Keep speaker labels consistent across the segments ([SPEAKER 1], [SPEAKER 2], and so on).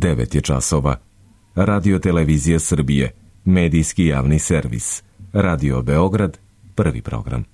[SPEAKER 1] 9 je časova. Radio Televizija Srbije, medijski javni servis. Radio Beograd, prvi program.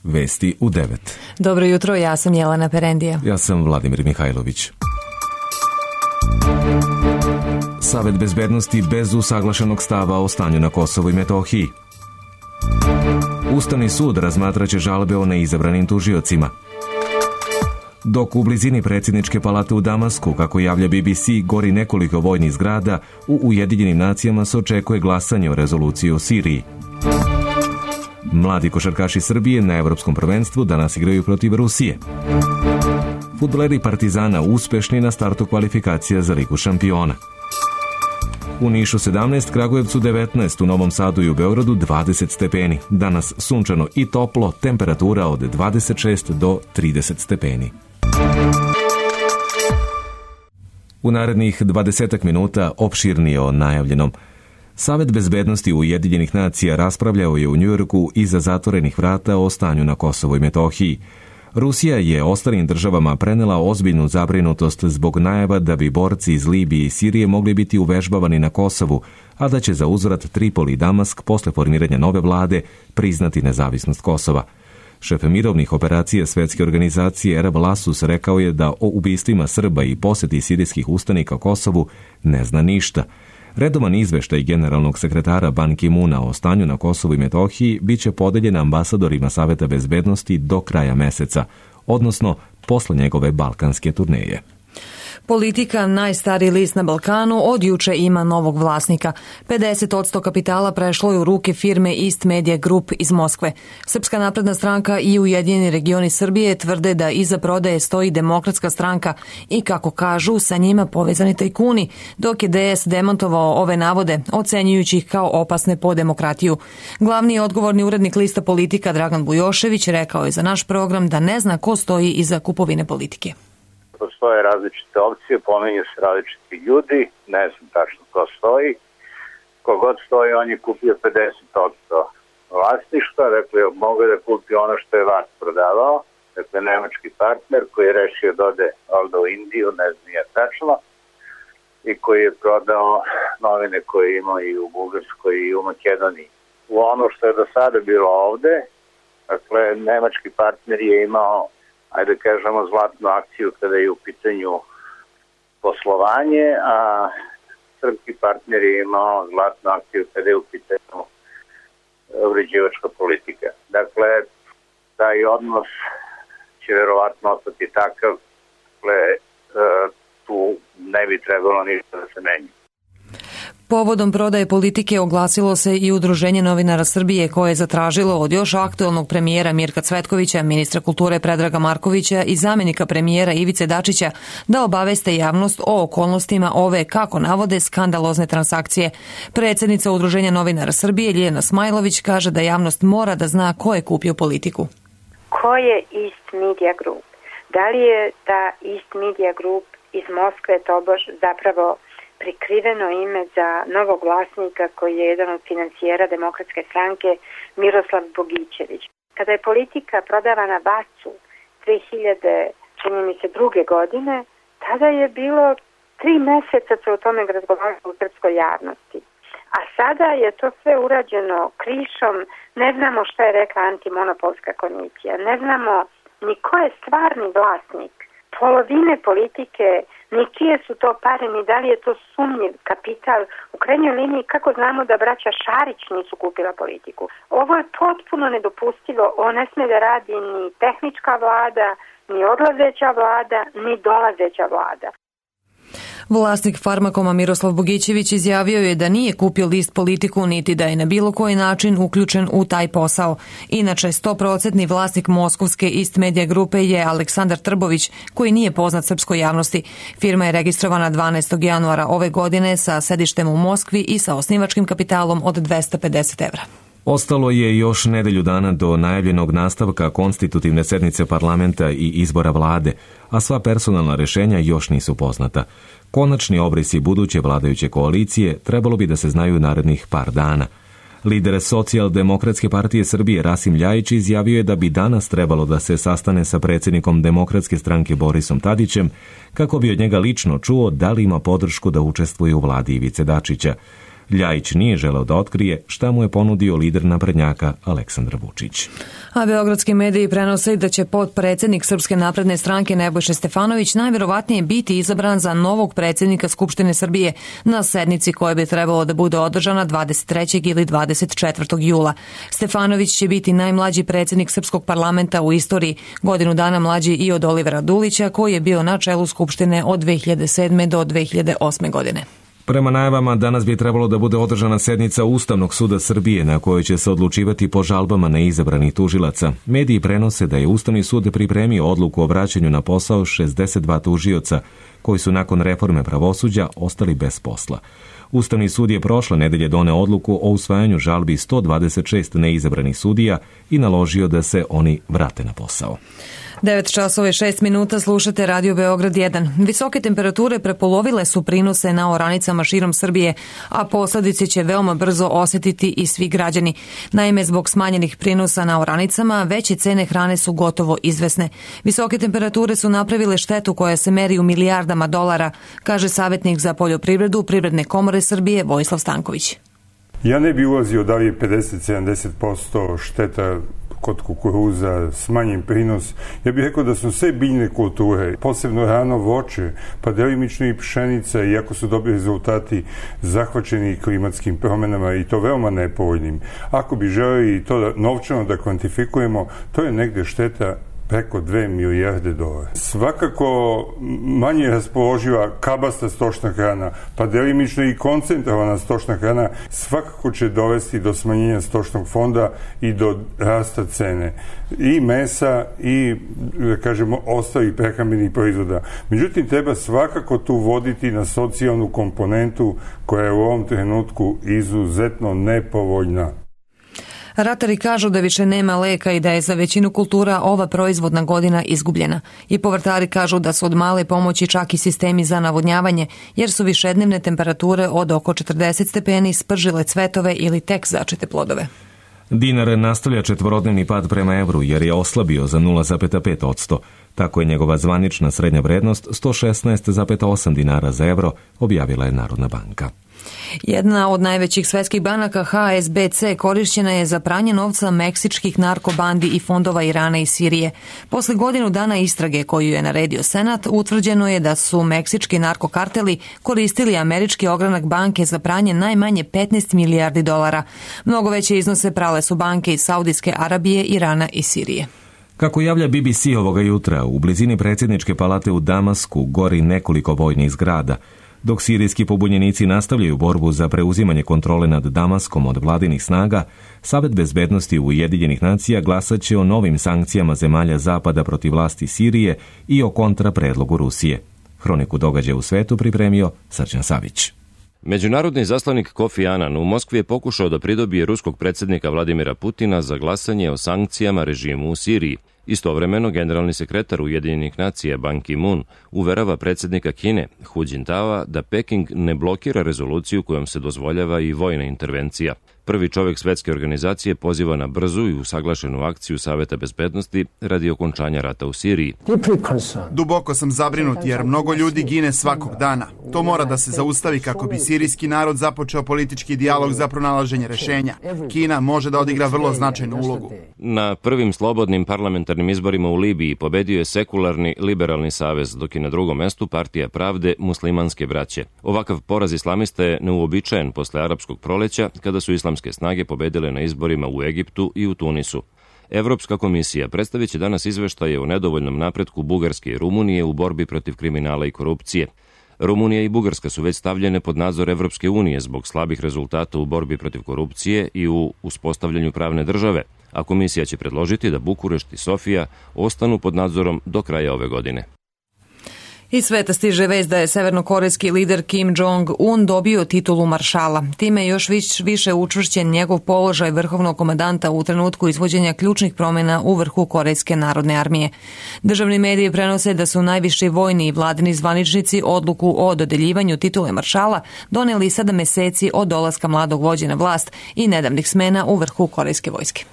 [SPEAKER 1] Vesti u 9.
[SPEAKER 2] Dobro jutro, ja sam Jelena Perendija.
[SPEAKER 1] Ja sam Vladimir Mihajlović. Savet bezbednosti bez usaglašenog stava o stanju na Kosovu i Metohiji. Ustavni sud razmatraće žalbe o neizabranim tužiocima. Dok u blizini predsjedničke palate u Damasku, kako javlja BBC, gori nekoliko vojnih zgrada, u Ujedinjenim nacijama se očekuje glasanje o rezoluciji o Siriji. Mladi košarkaši Srbije na Evropskom prvenstvu danas igraju protiv Rusije. Fudbaleri Partizana uspešni na startu kvalifikacija za Ligu šampiona. U Nišu 17, Kragujevcu 19, u Novom Sadu i u Beogradu 20 stepeni. Danas sunčano i toplo, temperatura od 26 do 30 stepeni. U narednih 20 minuta opširnije o najavljenom. Savet bezbednosti Ujedinjenih nacija raspravljao je u Njujorku iza zatvorenih vrata o stanju na Kosovu i Metohiji. Rusija je ostalim državama prenela ozbiljnu zabrinutost zbog najava da bi borci iz Libije i Sirije mogli biti uvežbavani na Kosovu, a da će za uzvrat Tripoli i Damask posle formiranja nove vlade priznati nezavisnost Kosova. Šef mirovnih operacija Svetske organizacije Erab Lasus rekao je da o ubistvima Srba i poseti sirijskih ustanika Kosovu ne zna ništa. Redovan izveštaj generalnog sekretara Ban Ki-muna o stanju na Kosovu i Metohiji biće podeljen ambasadorima Saveta bezbednosti do kraja meseca, odnosno posle njegove balkanske turneje.
[SPEAKER 2] Politika, najstariji list na Balkanu, od juče ima novog vlasnika. 50% kapitala prešlo je u ruke firme East Media Group iz Moskve. Srpska napredna stranka i Ujedinjeni regioni Srbije tvrde da iza prodaje stoji Demokratska stranka i, kako kažu, sa njima povezani tajkuni, dok je DS demantovao ove navode, ocenjujući ih kao opasne po demokratiju. Glavni i odgovorni urednik lista Politika Dragan Bujošević rekao je za naš program da ne zna ko stoji iza kupovine Politike.
[SPEAKER 3] Postoje različite opcije, pominju se različiti ljudi, ne znam tačno ko stoji. Kogod stoji, on je kupio 50% vlasništva, dakle, mogu da kupi ono što je vas prodavao, dakle, nemački partner koji je rešio da ode ovdje u Indiju, ne znam nije tačno, i koji je prodao novine koje ima i u Bugarskoj i u Makedoniji. U ono što je do sada bilo ovde, dakle, nemački partner je imao, ajde kažemo, zlatnu akciju kada je u pitanju poslovanje, a srpski partner je imao zlatnu akciju kada je u pitanju uređivačka politika. Dakle, taj odnos će verovatno ostati takav, dakle, tu ne bi trebalo ništa da se menja.
[SPEAKER 2] Povodom prodaje Politike oglasilo se i Udruženje novinara Srbije, koje je zatražilo od još aktuelnog premijera Mirka Cvetkovića, ministra kulture Predraga Markovića i zamjenika premijera Ivice Dačića da obaveste javnost o okolnostima ove, kako navode, skandalozne transakcije. Predsjednica Udruženja novinara Srbije Ljiljana Smajlović kaže da javnost mora da zna ko je kupio Politiku.
[SPEAKER 4] Ko je East Media Group? Da li je ta East Media Group iz Moskve tobož zapravo prikriveno ime za novog vlasnika koji je jedan od financijera Demokratske stranke, Miroslav Bogićević? Kada je Politika prodavana Vacu 2002. godine, tada je bilo 3 meseca se o tome razgovaralo u srpskoj javnosti. A sada je to sve urađeno krišom, ne znamo šta je rekla antimonopolska komisija, ne znamo ni ko je stvarni vlasnik polovine Politike, ni čije su to pare, ni da li je to sumnjiv kapital. U krajnjoj liniji, kako znamo da braća Šarić nisu kupila Politiku? Ovo je potpuno nedopustivo. Ovo ne sme da radi ni tehnička vlada, ni odlazeća vlada, ni dolazeća vlada.
[SPEAKER 2] Vlasnik Farmakoma Miroslav Bogićević izjavio je da nije kupio list Politiku niti da je na bilo koji način uključen u taj posao. Inače, 100% vlasnik moskovske East Media grupe je Aleksandar Trbović, koji nije poznat srpskoj javnosti. Firma je registrovana 12. januara ove godine sa sedištem u Moskvi i sa osnivačkim kapitalom od 250 evra.
[SPEAKER 1] Ostalo je još nedelju dana do najavljenog nastavka konstitutivne sednice parlamenta i izbora vlade, a sva personalna rešenja još nisu poznata. Konačni obrisi buduće vladajuće koalicije trebalo bi da se znaju narednih par dana. Lider Socijaldemokratske partije Srbije Rasim Ljajić izjavio je da bi danas trebalo da se sastane sa predsjednikom Demokratske stranke Borisom Tadićem kako bi od njega lično čuo da li ima podršku da učestvuje u vladi Ivice Dačića. Ljajić nije želeo da otkrije šta mu je ponudio lider naprednjaka Aleksandar Vučić.
[SPEAKER 2] A beogradski mediji prenose da će potpredsjednik Srpske napredne stranke Nebojša Stefanović najvjerovatnije biti izabran za novog predsjednika Skupštine Srbije na sednici koja bi trebalo da bude održana 23. ili 24. jula. Stefanović će biti najmlađi predsjednik Srpskog parlamenta u istoriji, godinu dana mlađi i od Olivera Dulića koji je bio na čelu Skupštine od 2007. do 2008. godine.
[SPEAKER 1] Prema najavama, danas bi trebalo da bude održana sednica Ustavnog suda Srbije na kojoj će se odlučivati po žalbama neizabranih tužilaca. Mediji prenose da je Ustavni sud pripremio odluku o vraćanju na posao 62 tužioca koji su nakon reforme pravosuđa ostali bez posla. Ustavni sud je prošle nedelje doneo odluku o usvajanju žalbi 126 neizabranih sudija i naložio da se oni vrate na posao.
[SPEAKER 2] 9 časova i 6 minuta slušate Radio Beograd 1. Visoke temperature prepolovile su prinose na oranicama širom Srbije, a posljedice će veoma brzo osjetiti i svi građani. Naime, zbog smanjenih prinosa na oranicama, veće cene hrane su gotovo izvesne. Visoke temperature su napravile štetu koja se meri u milijardama dolara, kaže savjetnik za poljoprivredu Privredne komore Srbije Vojislav Stanković.
[SPEAKER 5] Ja ne bi ulazio da li je 50-70% šteta kod kukuruza, smanjen prinos. Ja bih rekao da su sve biljne kulture, posebno rano voće, pa delimično i pšenica, iako su dobri rezultati zahvaćeni klimatskim promjenama i to veoma nepovoljnim. Ako bi želeli to novčano da kvantifikujemo, to je negde šteta preko 2 milijarde dolara. Svakako manje raspoloživa kabasta stočna hrana, pa delimično i koncentrovana stočna hrana, svakako će dovesti do smanjenja stočnog fonda i do rasta cene i mesa i, da kažemo, ostalih prehrambenih proizvoda. Međutim, treba svakako tu voditi na socijalnu komponentu koja je u ovom trenutku izuzetno nepovoljna.
[SPEAKER 2] Ratari kažu da više nema leka i da je za većinu kultura ova proizvodna godina izgubljena. I povrtari kažu da su od male pomoći čak i sistemi za navodnjavanje, jer su višednevne temperature od oko 40 stepeni spržile cvetove ili tek začete plodove.
[SPEAKER 1] Dinar nastavlja četvorodnevni pad prema evru jer je oslabio za 0,5%. Tako je njegova zvanična srednja vrednost 116,8 dinara za evro, objavila je Narodna banka.
[SPEAKER 2] Jedna od najvećih svetskih banaka HSBC korišćena je za pranje novca meksičkih narkobandi i fondova Irana i Sirije. Posle godinu dana istrage koju je naredio Senat, utvrđeno je da su meksički narkokarteli koristili američki ogranak banke za pranje najmanje 15 milijardi dolara. Mnogo veće iznose prale su banke iz Saudijske Arabije, Irana i Sirije.
[SPEAKER 1] Kako javlja BBC ovoga jutra, u blizini predsjedničke palate u Damasku gori nekoliko vojnih zgrada. Dok sirijski pobunjenici nastavljaju borbu za preuzimanje kontrole nad Damaskom od vladinih snaga, Savet bezbednosti Ujedinjenih nacija glasat će o novim sankcijama zemalja Zapada protiv vlasti Sirije i o kontrapredlogu Rusije. Hroniku događaja u svetu pripremio Srđan Savić.
[SPEAKER 6] Međunarodni izaslanik Kofi Annan u Moskvi je pokušao da pridobije ruskog predsjednika Vladimira Putina za glasanje o sankcijama režimu u Siriji. Istovremeno, generalni sekretar Ujedinjenih nacija Ban Ki-moon uverava predsjednika Kine Hu Jintaoa da Peking ne blokira rezoluciju kojom se dozvoljava i vojna intervencija. Prvi čovjek svetske organizacije poziva na brzu i usaglašenu akciju Saveta bezbednosti radi okončanja rata u Siriji.
[SPEAKER 7] Duboko sam zabrinut jer mnogo ljudi gine svakog dana. To mora da se zaustavi kako bi sirijski narod započeo politički dijalog za pronalaženje rješenja. Kina može da odigra vrlo značajnu ulogu.
[SPEAKER 6] Na prvim slobodnim parlamentarnim izborima u Libiji pobedio je sekularni liberalni savez, dok je na drugom mestu partija pravde muslimanske braće. Ovakav poraz islamista je neuobičajen posle arapskog proleća, kada su islamske snage pobedile na izborima u Egiptu i u Tunisu. Evropska komisija predstavit će danas izveštaje o nedovoljnom napretku Bugarske i Rumunije u borbi protiv kriminala i korupcije. Rumunija i Bugarska su već stavljene pod nadzor Evropske unije zbog slabih rezultata u borbi protiv korupcije i u uspostavljanju pravne države, a komisija će predložiti da Bukurešt i Sofija ostanu pod nadzorom do kraja ove godine.
[SPEAKER 2] Iz sveta stiže vest da je severnokorejski lider Kim Jong-un dobio titulu maršala. Time je još više učvršćen njegov položaj vrhovnog komandanta u trenutku izvođenja ključnih promjena u vrhu Korejske narodne armije. Državni mediji prenose da su najviši vojni i vladini zvaničnici odluku o dodeljivanju titule maršala doneli 7 meseci od dolaska mladog vođe na vlast i nedavnih smena u vrhu korejske vojske.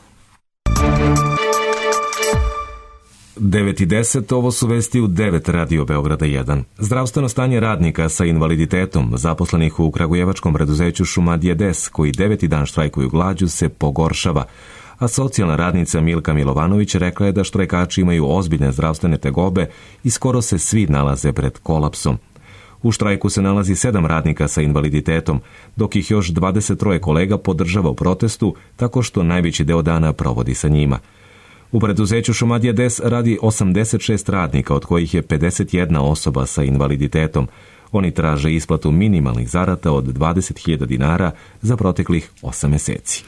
[SPEAKER 1] 9:10, ovo su vesti u 9 Radio Beograda 1. Zdravstveno stanje radnika sa invaliditetom, zaposlenih u kragujevačkom preduzeću Šumadije Des, koji 9. dan štrajkuju glađu, se pogoršava, a socijalna radnica Milka Milovanović rekla je da štrajkači imaju ozbiljne zdravstvene tegobe i skoro se svi nalaze pred kolapsom. U štrajku se nalazi 7 radnika sa invaliditetom, dok ih još 23 kolega podržava u protestu tako što najveći deo dana provodi sa njima. U preduzeću Šumadija Des radi 86 radnika, od kojih je 51 osoba sa invaliditetom. Oni traže isplatu minimalnih zarada od 20.000 dinara za proteklih 8 meseci.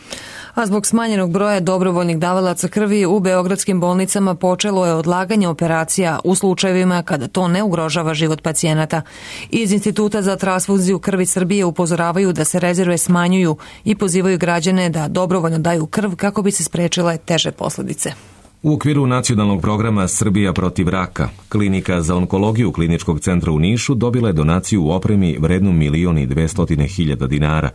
[SPEAKER 2] A zbog smanjenog broja dobrovoljnih davalaca krvi u beogradskim bolnicama počelo je odlaganje operacija u slučajevima kada to ne ugrožava život pacijenata. Iz Instituta za transfuziju krvi Srbije upozoravaju da se rezerve smanjuju i pozivaju građane da dobrovoljno daju krv kako bi se sprečile teže posljedice.
[SPEAKER 1] U okviru nacionalnog programa Srbija protiv raka, klinika za onkologiju Kliničkog centra u Nišu dobila je donaciju u opremi vrednu 1.200.000 dinara.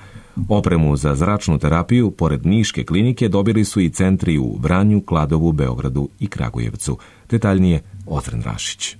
[SPEAKER 1] Opremu za zračnu terapiju, pored Niške klinike, dobili su i centri u Vranju, Kladovu, Beogradu i Kragujevcu. Detaljnije Ozren Rašić.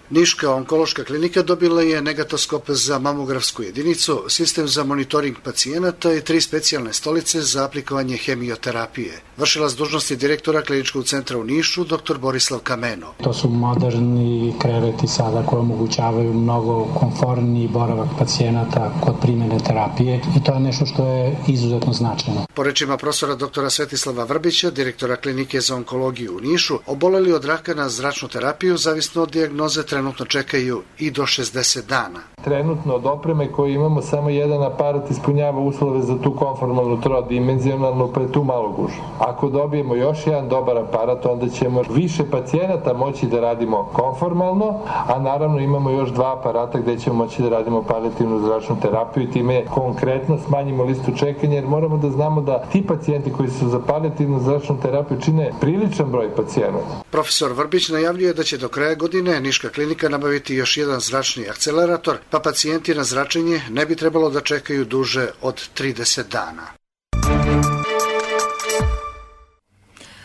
[SPEAKER 8] Niška onkološka klinika dobila je negatoskop za mamografsku jedinicu, sistem za monitoring pacijenata i 3 specijalne stolice za aplikovanje hemioterapije. Vršilac dužnosti direktora Kliničkog centra u Nišu, dr. Borislav Kameno.
[SPEAKER 9] To su moderni kreveti sada koji omogućavaju mnogo komforniji boravak pacijenata kod primjene terapije i to je nešto što je izuzetno značajno.
[SPEAKER 8] Po rečima profesora dr. Svetislava Vrbića, direktora Klinike za onkologiju u Nišu, oboleli od raka na zračnu terapiju, zavisno od dijagnoze, trenutno čekaju i do 60 dana.
[SPEAKER 10] Trenutno od opreme koju imamo samo jedan aparat ispunjava uslove za tu konformalnu trodimenzionalnu, pa je tu malo gužva. Ako dobijemo još jedan dobar aparat, onda ćemo više pacijenata moći da radimo konformalno, a naravno imamo još 2 aparata gde ćemo moći da radimo palijativnu zračnu terapiju i time konkretno smanjimo listu čekanja, jer moramo da znamo da ti pacijenti koji su za palijativnu zračnu terapiju čine priličan broj pacijenata.
[SPEAKER 8] Profesor Vrbić najavljuje da će do kraja godine Niška klinika nabaviti još jedan zračni akcelerator, pa pacijenti na zračenje ne bi trebalo da čekaju duže od 30 dana.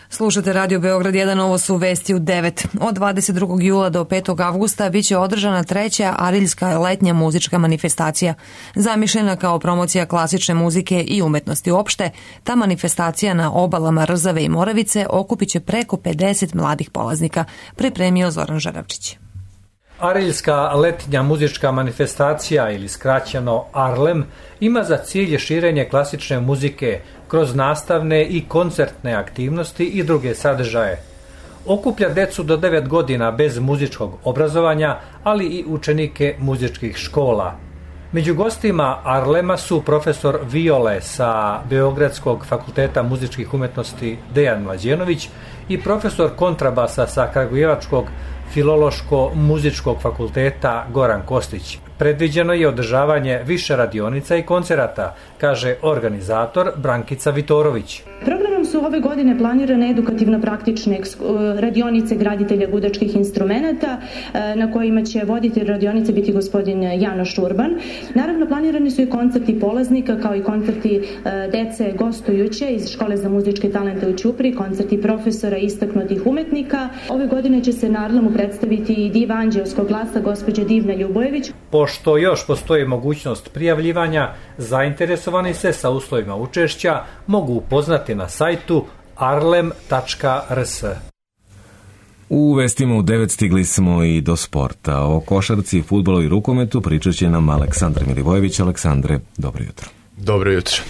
[SPEAKER 2] Slušate Radio Beograd 1, ovo su vesti u 9. Od 22. jula do 5. avgusta biće održana 3. Ariljska letnja muzička manifestacija. Zamišljena kao promocija klasične muzike i umetnosti uopšte, ta manifestacija na obalama Rzave i Moravice okupit će preko 50 mladih polaznika, pripremio Zoran Žaravčić.
[SPEAKER 11] Ariljska letnja muzička manifestacija, ili skraćeno ARLEM, ima za cilj širenje klasične muzike kroz nastavne i koncertne aktivnosti i druge sadržaje. Okuplja decu do 9 godina bez muzičkog obrazovanja, ali i učenike muzičkih škola. Među gostima ARLEMA su profesor viole sa Beogradskog fakulteta muzičkih umetnosti Dejan Mlađenović i profesor kontrabasa sa Kragujevačkog Filološko-muzičkog fakulteta Goran Kostić. Predviđeno je održavanje više radionica i koncerata, kaže organizator Brankica Vitorović.
[SPEAKER 12] Programom su ove godine planirane edukativno-praktične radionice graditelja gudačkih instrumenata, na kojima će voditelj radionice biti gospodin Janoš Urban. Naravno, planirani su i koncerti polaznika, kao i koncerti dece gostujuće iz Škole za muzičke talente u Ćupri, koncerti profesora istaknutih umetnika. Ove godine će se na ARLEMu predstaviti i diva anđelskog glasa gospođa Divna Ljubojević.
[SPEAKER 11] Pošto još postoji mogućnost prijavljivanja, zainteresovani se sa uslovima učešća mogu upoznati na sajtu arlem.rs.
[SPEAKER 1] U vestima u 9 stigli smo i do sporta. O košarci, fudbalu i rukometu pričat će nam Aleksandar Milivojević. Aleksandre, dobro jutro.
[SPEAKER 13] Dobro jutro.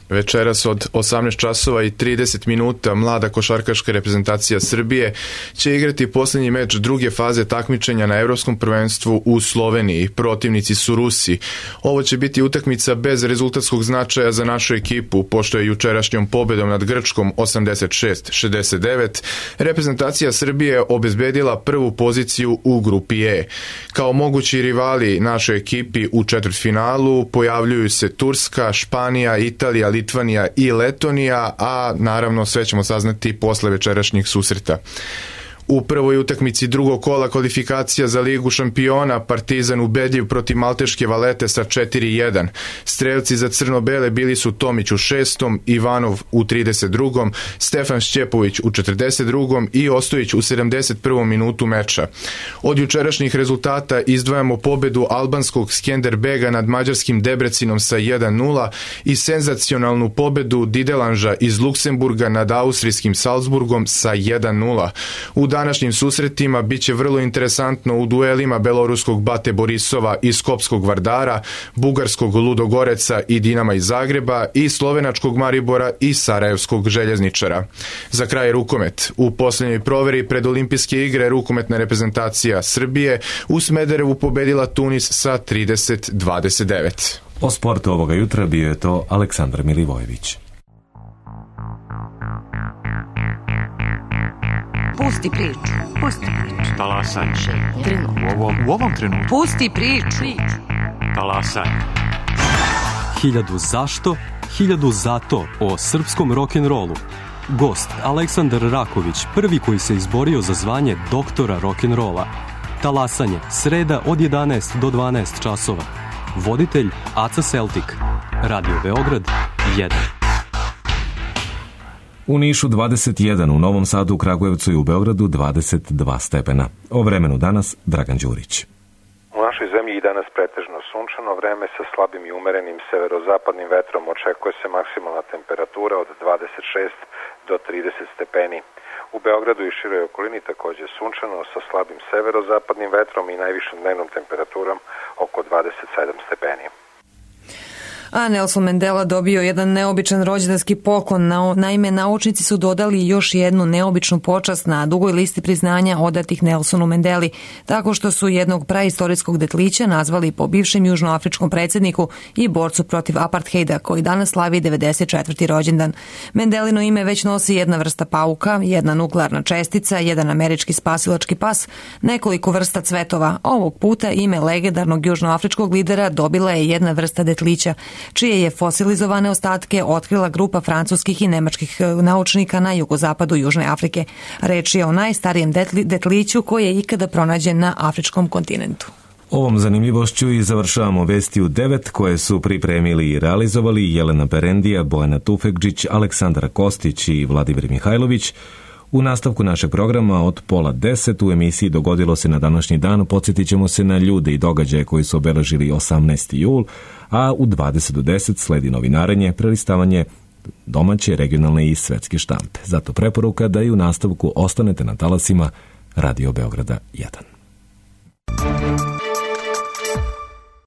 [SPEAKER 13] Večeras od 18 časova i 30 minuta mlada košarkaška reprezentacija Srbije će igrati posljednji meč druge faze takmičenja na Evropskom prvenstvu u Sloveniji. Protivnici su Rusi. Ovo će biti utakmica bez rezultatskog značaja za našu ekipu, pošto je jučerašnjom pobedom nad Grčkom 86-69 reprezentacija Srbije obezbedila prvu poziciju u grupi E. Kao mogući rivali našoj ekipi u četvrtfinalu pojavljuju se Turska, Španija, Italija, Litvanija i Letonija, a naravno sve ćemo saznati posle večerašnjih susreta. U prvoj utakmici drugog kola kvalifikacija za Ligu šampiona Partizan ubedljiv protiv Malteške Valete sa 4-1. Strelci za crno-bele bili su Tomić u 6. Ivanov u 32. Stefan Šćepović u 42. i Ostojić u 71. minutu meča. Od jučerašnjih rezultata izdvajamo pobedu albanskog Skenderbega nad mađarskim Debrecinom sa 1-0 i senzacionalnu pobedu Didelanža iz Luksemburga nad austrijskim Salzburgom sa 1-0. U današnjim susretima biće vrlo interesantno u duelima beloruskog Bate Borisova i skopskog Vardara, bugarskog Ludogoreca i Dinama iz Zagreba i slovenačkog Maribora i sarajevskog Željezničara. Za kraj rukomet. U posljednjoj proveri pred olimpijske igre rukometna reprezentacija Srbije u Smederevu pobedila Tunis sa 30-29.
[SPEAKER 1] O sportu ovoga jutra bio je to Aleksandar Milivojević.
[SPEAKER 14] Pusti priču.
[SPEAKER 15] Talasaj. U ovom trenutku.
[SPEAKER 14] Pusti priču.
[SPEAKER 15] Talasaj.
[SPEAKER 16] 1000 zašto, 1000 zato o srpskom rock'n'rollu. Gost Aleksandar Raković, prvi koji se izborio za zvanje doktora rock'n'rolla. Talasanje, sreda od 11 do 12 časova. Voditelj Aca Celtic. Radio Beograd 1.
[SPEAKER 1] U Nišu 21, u Novom Sadu, u Kragujevcu i u Beogradu 22 stepena. O vremenu danas Dragan Đurić.
[SPEAKER 17] U našoj zemlji i danas pretežno sunčano vreme sa slabim i umerenim severozapadnim vetrom. Očekuje se maksimalna temperatura od 26 do 30 stepeni. U Beogradu i široj okolini takođe sunčano sa slabim severozapadnim vetrom i najvišom dnevnom temperaturom oko 27 stepeni.
[SPEAKER 2] A Nelson Mandela dobio jedan neobičan rođendanski poklon. Naime, naučnici su dodali još jednu neobičnu počast na dugoj listi priznanja odatih Nelsonu Mandeli, tako što su jednog praistorijskog detlića nazvali po bivšem južnoafričkom predsjedniku i borcu protiv apartheida, koji danas slavi 94. rođendan. Mandelino ime već nosi jedna vrsta pauka, jedna nuklearna čestica, jedan američki spasilački pas, nekoliko vrsta cvetova. Ovog puta ime legendarnog južnoafričkog lidera dobila je jedna vrsta detlića, čije je fosilizovane ostatke otkrila grupa francuskih i nemačkih naučnika na jugozapadu Južne Afrike. Reč je o najstarijem detliću koji je ikada pronađen na afričkom kontinentu.
[SPEAKER 1] Ovom zanimljivošću i završavamo vesti u 9 koje su pripremili i realizovali Jelena Perendija, Bojana Tufekđić, Aleksandar Kostić i Vladimir Mihajlović. U nastavku našeg programa od 9:30 u emisiji Dogodilo se na današnji dan podsjetit ćemo se na ljude i događaje koji su obeležili 18. jul, a u 20:10 sledi novinarenje, prelistavanje domaće, regionalne i svetske štampe. Zato preporuka da i u nastavku ostanete na talasima Radio Beograda 1.